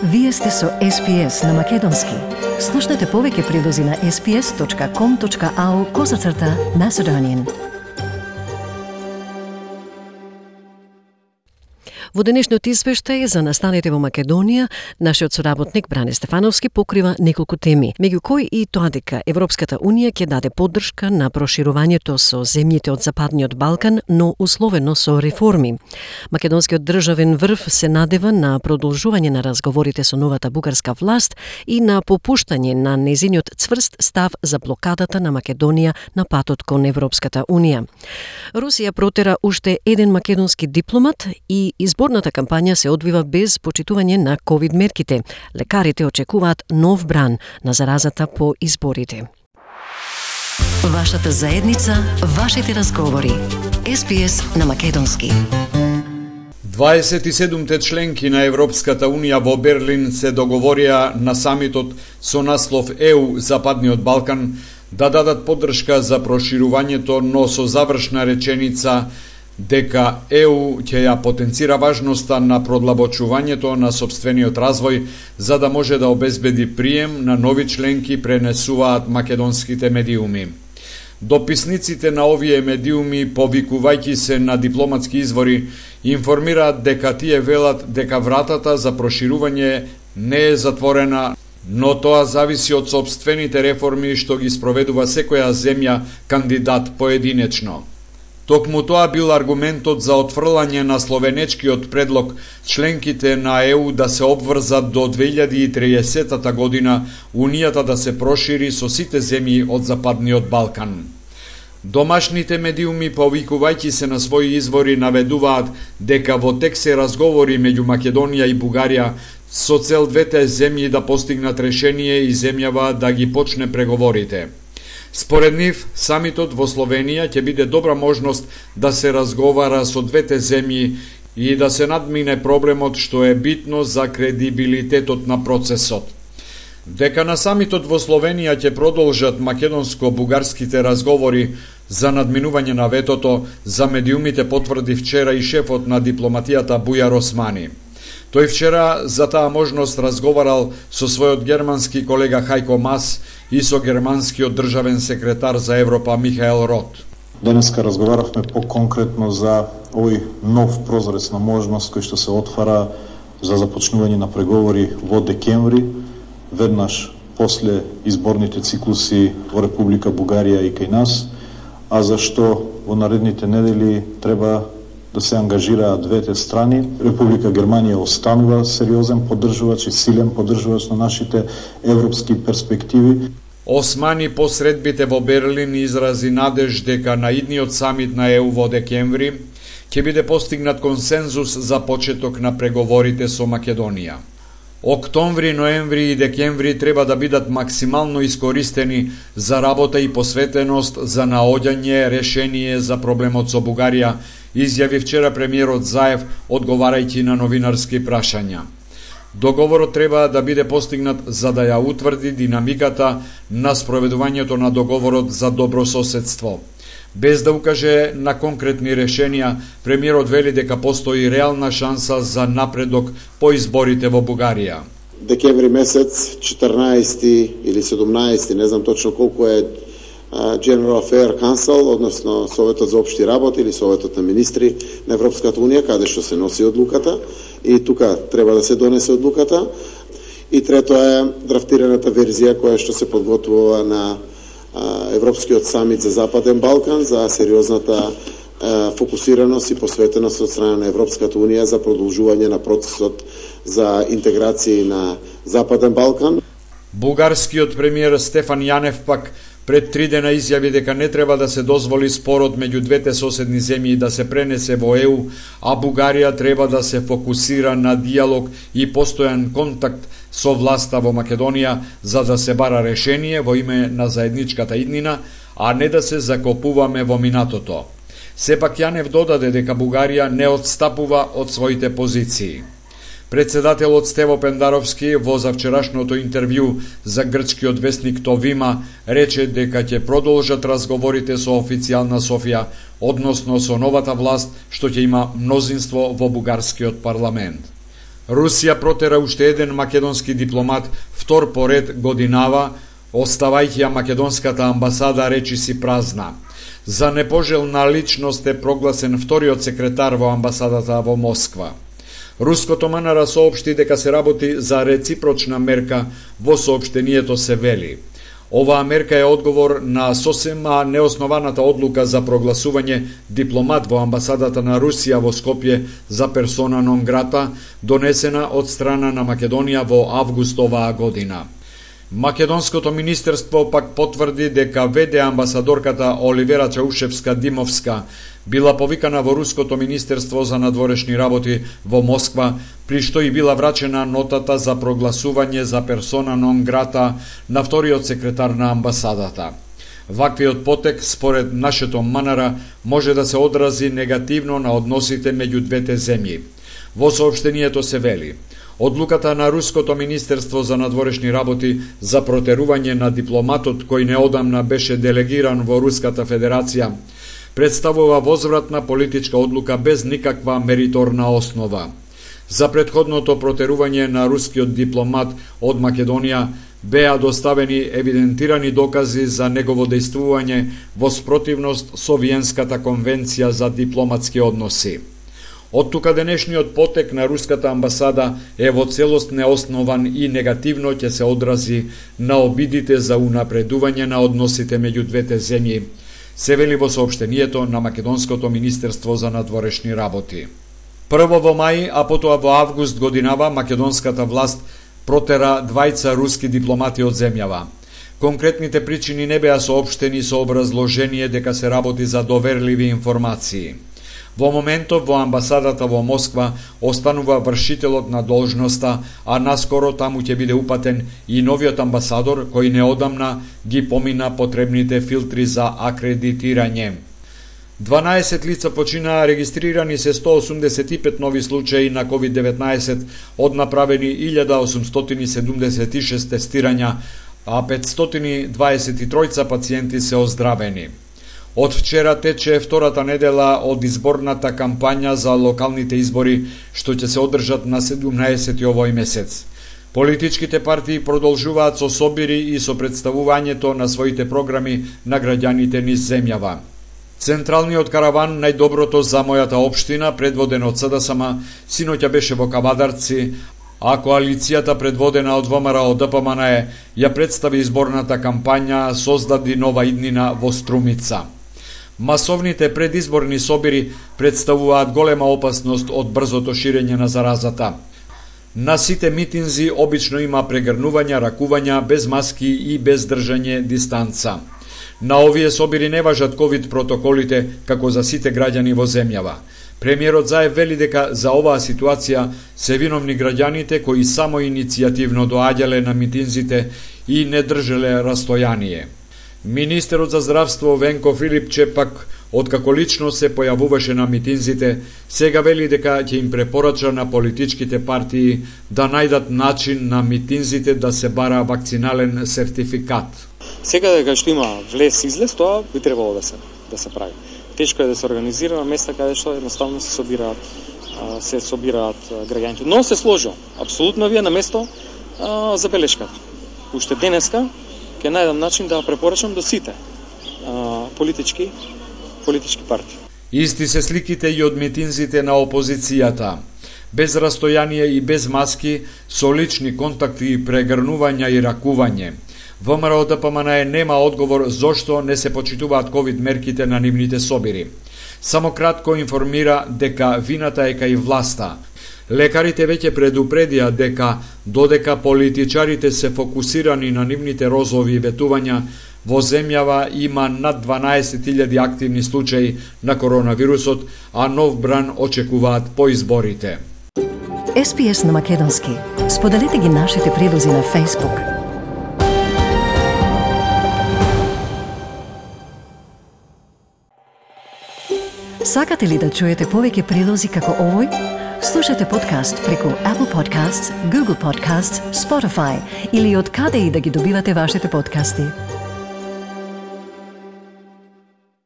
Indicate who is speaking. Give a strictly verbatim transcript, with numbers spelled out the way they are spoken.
Speaker 1: Вие сте со Ес Пи Ес на Македонски. Слушнете повеќе прилози на ес пи ес точка ком точка ау козацрта Macedonian. Во денешниот извештај за настаните во Македонија, нашиот соработник Бране Стефановски покрива неколку теми, меѓу кои и тоа дека Европската Унија ќе даде поддршка на проширувањето со земјите од Западниот Балкан, но условено со реформи. Македонскиот државен врв се надева на продолжување на разговорите со новата бугарска власт и на попуштање на нејзиниот цврст став за блокадата на Македонија на патот кон Европската Унија. Русија протера уште еден македонски дипломат и изборната кампања се одвива без почитување на ковид мерките. Лекарите очекуваат нов бран на заразата по изборите. Вашата заедница, вашите разговори. Ес Пи Ес на Македонски.
Speaker 2: дваесет и седумте членки на Европската Унија во Берлин се договорија на самитот со наслов ЕУ Западниот Балкан да дадат поддршка за проширувањето, но со завршна реченица дека ЕУ ќе ја потенцира важноста на продлабочувањето на сопствениот развој за да може да обезбеди прием на нови членки, пренесуваат македонските медиуми. Дописниците на овие медиуми, повикувајќи се на дипломатски извори, информираат дека тие велат дека вратата за проширување не е затворена, но тоа зависи од сопствените реформи што ги спроведува секоја земја кандидат поединечно. Токму тоа бил аргументот за отфрлање на словенечкиот предлог членките на ЕУ да се обврзат до две илјади и триесета година Унијата да се прошири со сите земји од Западниот Балкан. Домашните медиуми, повикувајќи се на своји извори, наведуваат дека во тек се разговори меѓу Македонија и Бугарија со цел двете земји да постигнат решение и земјава да ги почне преговорите. Според нив, самитот во Словенија ќе биде добра можност да се разговара со двете земји и да се надмине проблемот што е битно за кредибилитетот на процесот. Дека на самитот во Словенија ќе продолжат македонско-бугарските разговори за надминување на ветото, за медиумите потврди вчера и шефот на дипломатијата Бујар Османи. Тој вчера за таа можност разговарал со својот германски колега Хајко Мас и со германскиот државен секретар за Европа Михаел Рот.
Speaker 3: Денеска разговаравме по-конкретно за овој нов прозорец на можност кој што се отвара за започнување на преговори во декември, веднаш после изборните циклуси во Република Бугарија и кај нас, а зашто во наредните недели треба да се ангажираат двете страни. Република Германија останува сериозен поддржувач и силен поддржувач на нашите европски перспективи.
Speaker 2: Османи по средбите во Берлин изрази надеж дека на идниот самит на ЕУ во декември ќе биде постигнат консензус за почеток на преговорите со Македонија. Октомври, ноември и декември треба да бидат максимално искористени за работа и посветеност за наоѓање решение за проблемот со Бугарија, изјави вчера премиерот Заев одговарајќи на новинарски прашања. Договорот треба да биде постигнат за да ја утврди динамиката на спроведувањето на договорот за добрососедство. Без да укаже на конкретни решенија, премиерот вели дека постои реална шанса за напредок по изборите во Бугарија.
Speaker 4: Декември месец, четрнаесети или седумнаесети, не знам точно колку е General Affair Council, односно Советот за општи работи или Советот на министри на Европската Унија, каде што се носи одлуката, и тука треба да се донесе одлуката. И трето е драфтираната верзија која што се подготвува на Европскиот самит за Западен Балкан, за сериозната фокусираност и посветеност од страна на Европската Унија за продолжување на процесот за интеграција на Западен Балкан.
Speaker 2: Бугарскиот премиер Стефан Јанев пак пред три дена изјави дека не треба да се дозволи спорот меѓу двете соседни земји да се пренесе во ЕУ, а Бугарија треба да се фокусира на диалог и постојан контакт со власта во Македонија за да се бара решение во име на заедничката иднина, а не да се закопуваме во минатото. Сепак Јанев додаде дека Бугарија не отстапува од своите позиции. Председателот Стево Пендаровски во завчерашното интервју за грчкиот весник Товима рече дека ќе продолжат разговорите со официјална Софија, односно со новата власт што ќе има мнозинство во бугарскиот парламент. Русија протера уште еден македонски дипломат, втор поред годинава, оставајќи ја македонската амбасада речиси празна. За непожелна личност е прогласен вториот секретар во амбасадата во Москва. Руското МНР соопшти дека се работи за реципрочна мерка, во соопштението се вели: оваа мерка е одговор на сосема неоснованата одлука за прогласување дипломат во амбасадата на Русија во Скопје за персона нон грата, донесена од страна на Македонија во август оваа година. Македонското министерство пак потврди дека веде амбасадорката Оливера Чаушевска-Димовска била повикана во Руското министерство за надворешни работи во Москва, при што и била врачена нотата за прогласување за персона нон грата на вториот секретар на амбасадата. Ваквиот потек, според нашето МНР, може да се одрази негативно на односите меѓу двете земји. Во соопштението се вели: одлуката на Руското министерство за надворешни работи за протерување на дипломатот кој неодамна беше делегиран во Руската федерација представува возвратна политичка одлука без никаква мериторна основа. За претходното протерување на рускиот дипломат од Македонија беа доставени евидентирани докази за негово дејствување во спротивност со Виенската конвенција за дипломатски односи. Од тука денешниот потек на руската амбасада е во целост неоснован и негативно ќе се одрази на обидите за унапредување на односите меѓу двете земји, се вели во соопштението на Македонското министерство за надворешни работи. Прво во мај, а потоа во август годинава, македонската власт протера двајца руски дипломати од земјава. Конкретните причини не беа соопштени со образложение дека се работи за доверливи информации. Во моментов во амбасадата во Москва останува вршителот на должноста, а наскоро таму ќе биде упатен и новиот амбасадор кој неодамна ги помина потребните филтри за акредитирање. дванаесет лица починаа, регистрирани се сто осумдесет и пет нови случаи на ковид деветнаесет, од направени илјада осумстотини седумдесет и шест тестирања, а петстотини дваесет и три пациенти се оздравени. Од вчера тече втората недела од изборната кампања за локалните избори, што ќе се одржат на седумнаесети овој месец. Политичките партии продолжуваат со собири и со представувањето на своите програми на граѓаните низ земјава. Централниот караван најдоброто за мојата општина, предводен од СДСМ, синоќа беше во Кавадарци, а коалицијата предводена од ВМРО ДПМН ја представи изборната кампања Создади нова иднина во Струмица. Масовните предизборни собири представуваат голема опасност од брзото ширење на заразата. На сите митинзи обично има прегрнувања, ракувања, без маски и без држање дистанца. На овие собири не важат ковид протоколите како за сите граѓани во земјава. Премиерот Заев вели дека за оваа ситуација се виновни граѓаните кои само иницијативно доаѓале на митинзите и не држеле растојание. Министерот за здравство Венко Филипче пак, откако лично се појавуваше на митинзите, сега вели дека ќе им препорача на политичките партии да најдат начин на митинзите да се бара вакцинален сертификат.
Speaker 5: Сега дека што има влез-излез, тоа би требало да се да се прави. Тешко е да се организира на места каде што едноставно се собираат се собираат граѓаните. Но се сложил. Апсолутно вие на место а, забелешката. Уште денеска ќе најдам начин да препорачам до сите а, политички политички партии.
Speaker 2: Исти се сликите и од митинзите на опозицијата. Без растојание и без маски, со лични контакти и прегрнувања и ракување. ВМРО ДПМН нема одговор зошто не се почитуваат ковид мерките на нивните собири. Само кратко информира дека вината е кај власта. Лекарите веќе предупредија дека додека политичарите се фокусирани на нивните розови ветувања, во земјава има над дванаесет илјади активни случаи на коронавирусот, а нов бран очекуваат по изборите.
Speaker 6: Ес Пи Ес на македонски. Споделете ги нашите прилози на Facebook. Сакате ли да чуете повеќе прилози како овој? Слушате подкаст преку Apple Podcasts, Google Podcasts, Spotify или од каде и да ги добивате вашите подкасти.